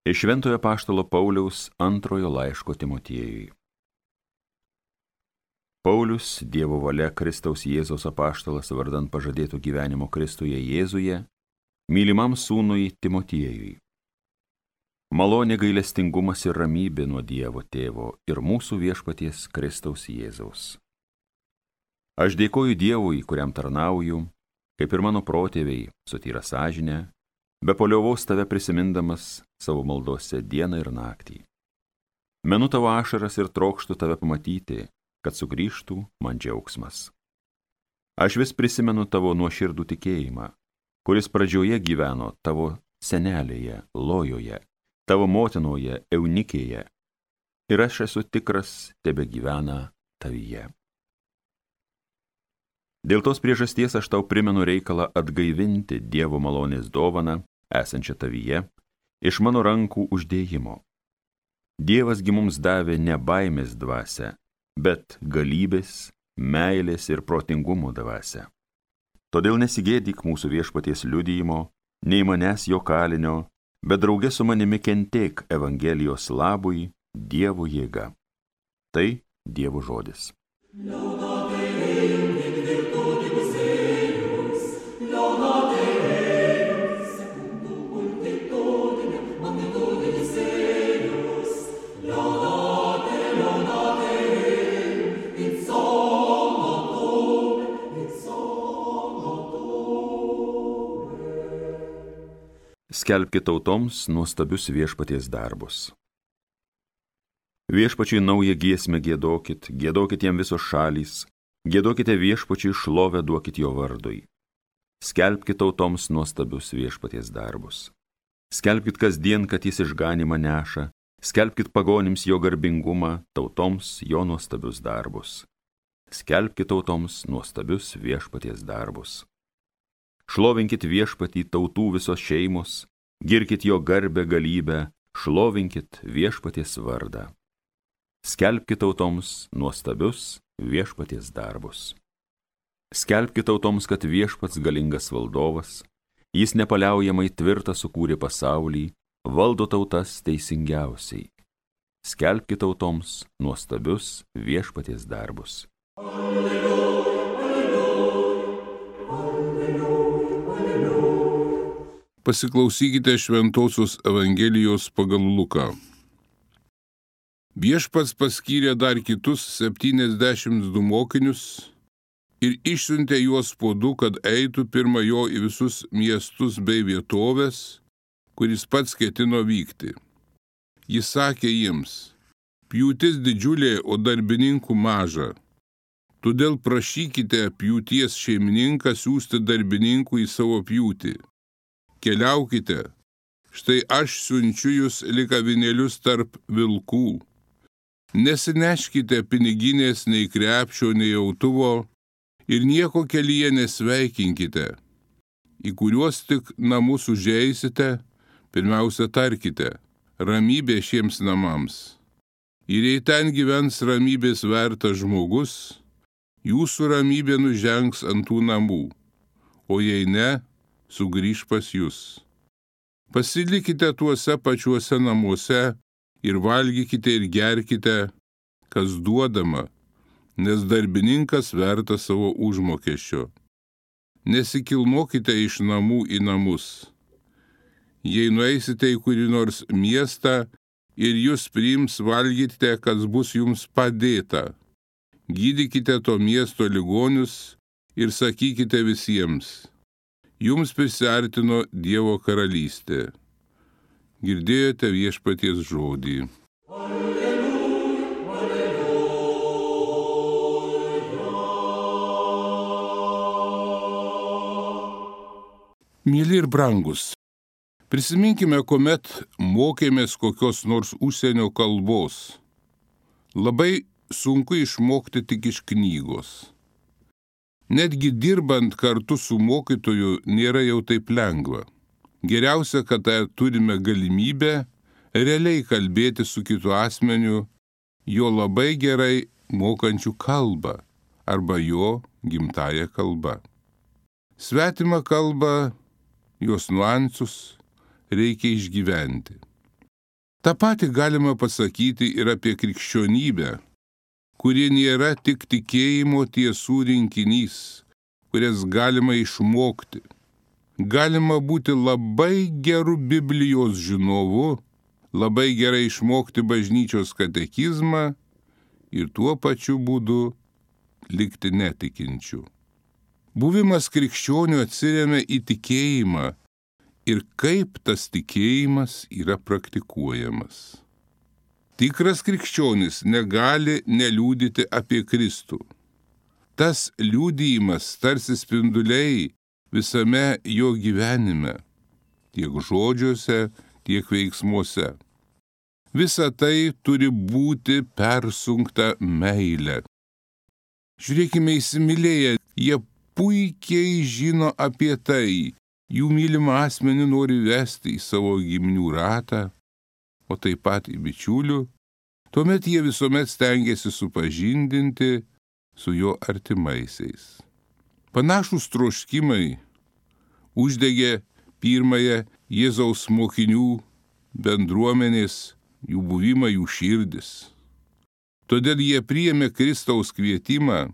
Iš Šventojo apaštalo Pauliaus antrojo laiško Timotiejui. Paulius, Dievo valia Kristaus Jėzaus apaštalas vardan pažadėto gyvenimo Kristuje Jėzuje, mylimam sūnui Timotiejui. Malonė, gailestingumas ir ramybė nuo Dievo Tėvo ir mūsų viešpaties Kristaus Jėzaus. Aš dėkoju Dievui, kuriam tarnauju, kaip ir mano protėviai, su tyra sąžinė, be paliovos tave prisimindamas savo maldose dieną ir naktį. Menu tavo ašaras ir trokštu tave pamatyti, kad sugrįžtų man džiaugsmas. Aš vis prisimenu tavo nuoširdų tikėjimą, kuris pradžioje gyveno tavo senelėje, Lojoje, tavo motinoje, Eunikėje, ir aš esu tikras, tebegyvena tavyje. Dėl tos priežasties aš tau primenu reikalą atgaivinti Dievo malonės dovaną, esančią tavyje, iš mano rankų uždėjimo. Dievas gi mums davė ne baimės dvasią, bet galybės, meilės ir protingumo dvasią. Todėl nesigėdyk mūsų viešpaties liudijimo, nei manęs jo kalinio, bet drauge su manimi kentėk Evangelijos labui Dievo jėga. Tai Dievo žodis. Skelbkite tautoms nuostabius viešpaties darbus. Viešpačiui naują giesmę giedokit, giedokit jam visos šalys, giedokite viešpačiui šlovę duokit jo vardui. Skelbkite tautoms nuostabius viešpaties darbus. Skelbkit kasdien, kad jis išganymą neša, skelbkit pagonims jo garbingumą, tautoms jo nuostabius darbus. Skelbkite tautoms nuostabius viešpaties darbus. Šlovinkit viešpatį tautų visos šeimos, girkit jo garbę galybę, šlovinkit viešpaties vardą. Skelbkit tautoms nuostabius viešpaties darbus. Skelbkit tautoms, kad viešpats galingas valdovas, jis nepaliaujamai tvirtą sukūrė pasaulį, valdo tautas teisingiausiai. Skelbkit tautoms nuostabius viešpaties darbus. Pasiklausykite Šventosios Evangelijos pagal Luką. Viešpats paskyrė dar kitus 72 mokinius ir išsiuntė juos po du, kad eitų pirma jo į visus miestus bei vietovės, kuris pats ketino vykti. Jis sakė jiems: pjūtis didžiulė, o darbininkų maža. Todėl prašykite pjūties šeimininką siųsti darbininkų į savo pjūtį. Keliaukite, štai aš siunčiu jūs lyg avinėlius tarp vilkų. Nesineškite piniginės nei krepšio, nei autuvo ir nieko kelyje nesveikinkite. Į kuriuos tik namus užeisite, pirmiausia tarkite: ramybė šiems namams. Ir jei ten gyvens ramybės vertas žmogus, jūsų ramybė nužengs ant tų namų, o jei ne, sugrįš pas jūs. Pasilikite tuose pačiuose namuose ir valgykite ir gerkite, kas duodama, nes darbininkas vertas savo užmokesčio. Nesikilnokite iš namų į namus. Jei nueisite į kurį nors miestą ir jūs priims, valgykite, kas bus jums padėta. Gydykite to miesto ligonius ir sakykite visiems: jums prisiartino Dievo karalystė. Girdėjote viešpaties žodį. Alleluja, alleluja. Mieli ir brangus, prisiminkime, kuomet mokėmės kokios nors užsienio kalbos. Labai sunku išmokti tik iš knygos. Netgi dirbant kartu su mokytoju nėra jau taip lengva. Geriausia, kad turime galimybę realiai kalbėti su kitu asmeniu, jo labai gerai mokančiu kalbą arba jo gimtąją kalbą. Svetimą kalbą, jos niuansus reikia išgyventi. Ta pati galima pasakyti ir apie krikščionybę, kuri nėra tik tikėjimo tiesų rinkinys, kurias galima išmokti. Galima būti labai geru Biblijos žinovu, labai gerai išmokti bažnyčios katekizmą ir tuo pačiu būdu likti netikinčiu. Buvimas krikščioniu atsiremia į tikėjimą ir kaip tas tikėjimas yra praktikuojamas. Tikras krikščionis negali neliūdyti apie Kristų. Tas liudijimas tarsi spinduliai visame jo gyvenime, tiek žodžiuose, tiek veiksmuose. Visa tai turi būti persunkta meile. Žiūrėkime, įsimylėję, jie puikiai žino apie tai, jų mylimą asmenį nori vesti į savo giminių ratą, o taip pat į bičiulių, tuomet jie visuomet stengiasi supažindinti su jo artimaisiais. Panašūs troškimai uždegė pirmąją Jėzaus mokinių bendruomenės, jų buvimą, jų širdis. Todėl jie priėmė Kristaus kvietimą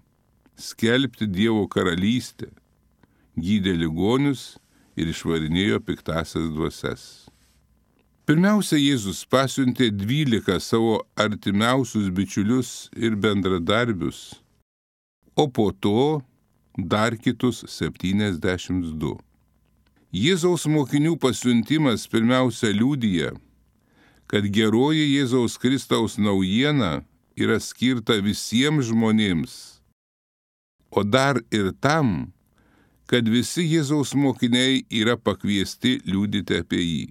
skelbti Dievo karalystę, gydė ligonius ir išvarinėjo piktąsias dvasias. Pirmiausia, Jėzus pasiuntė 12 savo artimiausius bičiulius ir bendradarbius, o po to dar kitus 72. Jėzaus mokinių pasiuntimas pirmiausia liudija, kad geroji Jėzaus Kristaus naujiena yra skirta visiems žmonėms, o dar ir tam, kad visi Jėzaus mokiniai yra pakviesti liudyti apie jį.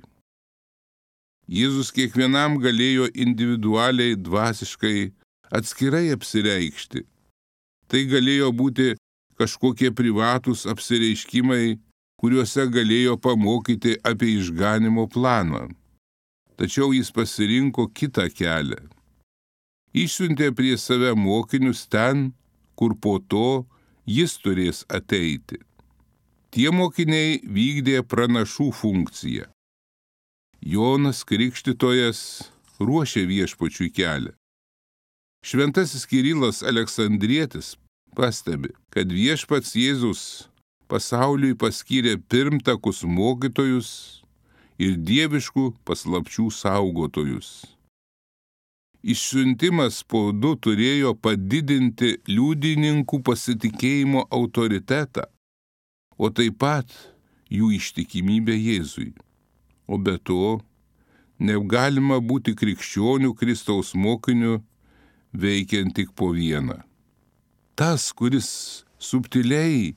Jėzus kiekvienam galėjo individualiai, dvasiškai, atskirai apsireikšti. Tai galėjo būti kažkokie privatūs apsireiškimai, kuriuose galėjo pamokyti apie išganimo planą. Tačiau jis pasirinko kitą kelią. Išsiuntė prie save mokinius ten, kur po to jis turės ateiti. Tie mokiniai vykdė pranašų funkciją. Jonas Krikštytojas ruošė viešpačiui kelią. Šventasis Kirilas Aleksandrietis pastebi, kad viešpats Jėzus pasauliui paskyrė pirmtakus mokytojus ir dieviškų paslapčių saugotojus. Išsiuntimas po 2 turėjo padidinti liudininkų pasitikėjimo autoritetą, o taip pat jų ištikimybę Jėzui. O be to, negalima būti krikščionių Kristaus mokiniu veikiant tik po vieną. Tas, kuris subtiliai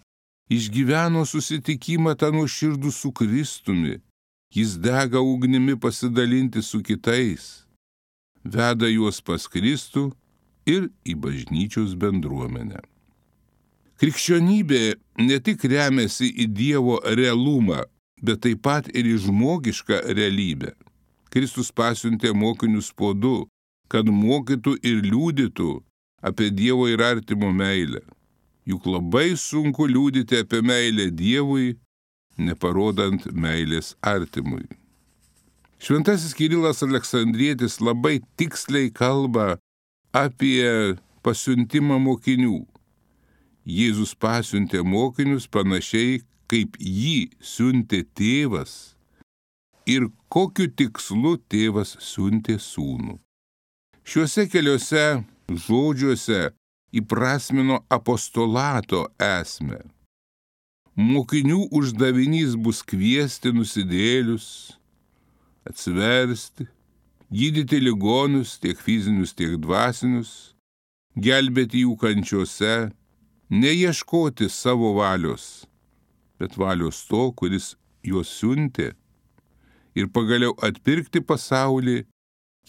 išgyveno susitikimą tą nuoširdų su Kristumi, jis dega ugnimi pasidalinti su kitais, veda juos pas Kristų ir į bažnyčios bendruomenę. Krikščionybė ne tik remiasi į Dievo realumą, bet taip pat ir į žmogišką realybę. Kristus pasiuntė mokinius po 2, kad mokytų ir liudytų apie Dievo ir artimo meilę. Juk labai sunku liudyti apie meilę Dievui, neparodant meilės artimui. Šventasis Kirilas Aleksandrietis labai tiksliai kalba apie pasiuntimą mokinių. Jėzus pasiuntė mokinius panašiai, kaip jį siuntė tėvas ir kokiu tikslu tėvas siuntė sūnų. Šiuose keliuose žodžiuose įprasmino apostolato esmę. Mokinių uždavinys bus kviesti nusidėlius, atsiversti, gydyti ligonius, tiek fizinius, tiek dvasinius, gelbėti jų kančiose, neieškoti savo valios, bet valios to, kuris juos siuntė, ir pagaliau atpirkti pasaulį,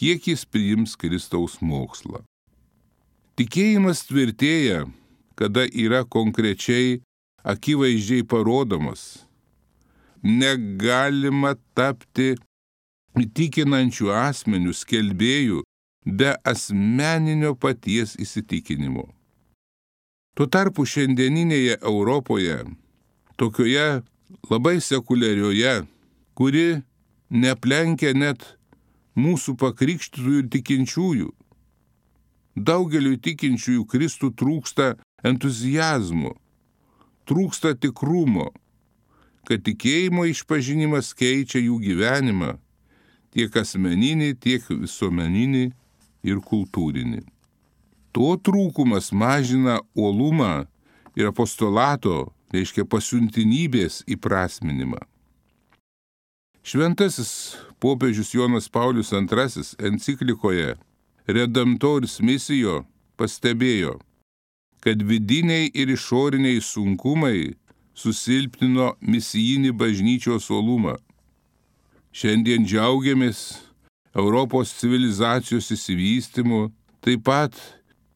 kiek jis priims Kristaus mokslą. Tikėjimas tvirtėja, kada yra konkrečiai, akivaizdžiai parodomas. Negalima tapti įtikinančių asmenių skelbėjų be asmeninio paties įsitikinimo. Tuo tarpu šiandieninėje Europoje, tokioje labai sekuliarioje, kuri neaplenkia net mūsų pakrikštytųjų ir tikinčiųjų. Daugeliu tikinčiųjų Kristų trūksta entuziazmo, trūksta tikrumo, kad tikėjimo išpažinimas keičia jų gyvenimą, tiek asmeninį, tiek visuomeninį ir kultūrinį. To trūkumas mažina uolumą ir apostolato, reiškia pasiuntinybės įprasminimą. Šventasis popiežius Jonas Paulius II enciklikoje Redemptoris Missio pastebėjo, kad vidiniai ir išoriniai sunkumai susilpnino misijinį bažnyčios uolumą. Šiandien džiaugiamės Europos civilizacijos išsivystymu, taip pat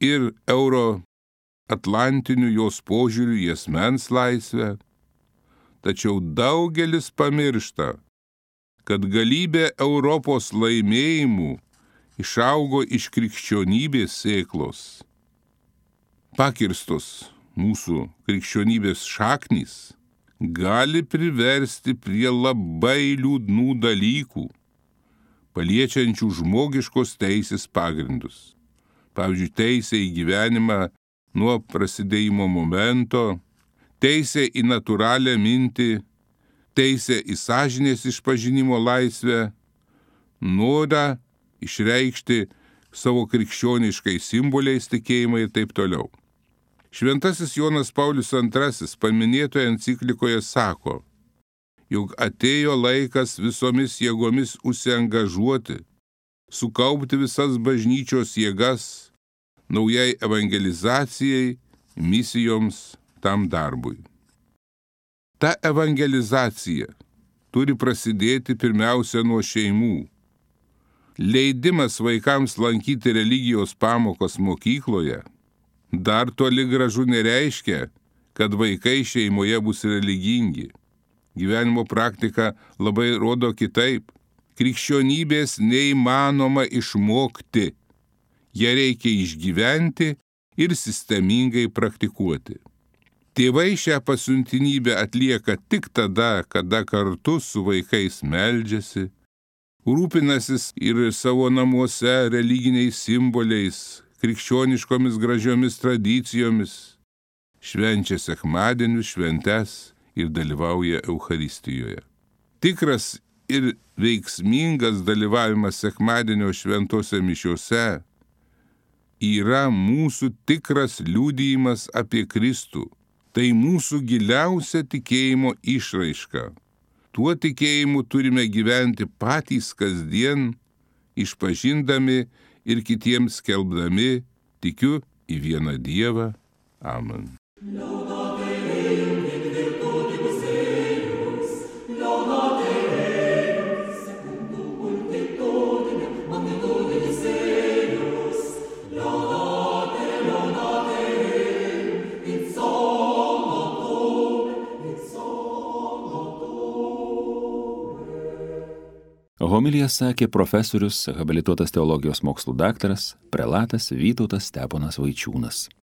ir euroatlantiniu jos požiūriu į asmens laisvę. Tačiau daugelis pamiršta, kad galybė Europos laimėjimų išaugo iš krikščionybės sėklos. Pakirstos mūsų krikščionybės šaknys gali priversti prie labai liūdnų dalykų, paliečiančių žmogiškos teisės pagrindus. Pavyzdžiui, teisė į gyvenimą nuo prasidėjimo momento, teisė į natūralią mintį, teisė į sąžinės išpažinimo laisvę, norą išreikšti savo krikščioniškais simboliais tikėjimą ir taip toliau. Šventasis Jonas Paulius II paminėtoje enciklikoje sako, jog atėjo laikas visomis jėgomis užsiangažuoti, sukaupti visas bažnyčios jėgas naujai evangelizacijai, misijoms, tam darbui. Ta evangelizacija turi prasidėti pirmiausia nuo šeimų. Leidimas vaikams lankyti religijos pamokas mokykloje dar toli gražu nereiškia, kad vaikai šeimoje bus religingi. Gyvenimo praktika labai rodo kitaip. Krikščionybės neįmanoma išmokti. Ją reikia išgyventi ir sistemingai praktikuoti. Tėvai šią pasiuntinybę atlieka tik tada, kada kartu su vaikais meldžiasi, rūpinasis ir savo namuose religiniais simboliais, krikščioniškomis gražiomis tradicijomis, švenčia sekmadienių šventes ir dalyvauja Eucharistijoje. Tikras ir veiksmingas dalyvavimas sekmadienio šventose mišiose yra mūsų tikras liudijimas apie Kristų. Tai mūsų giliausia tikėjimo išraiška. Tuo tikėjimu turime gyventi patys kasdien, išpažindami ir kitiems skelbdami, tikiu į vieną Dievą. Amen. Homiliją sakė profesorius, habilituotas teologijos mokslų daktaras, prelatas Vytautas Steponas Vaičiūnas.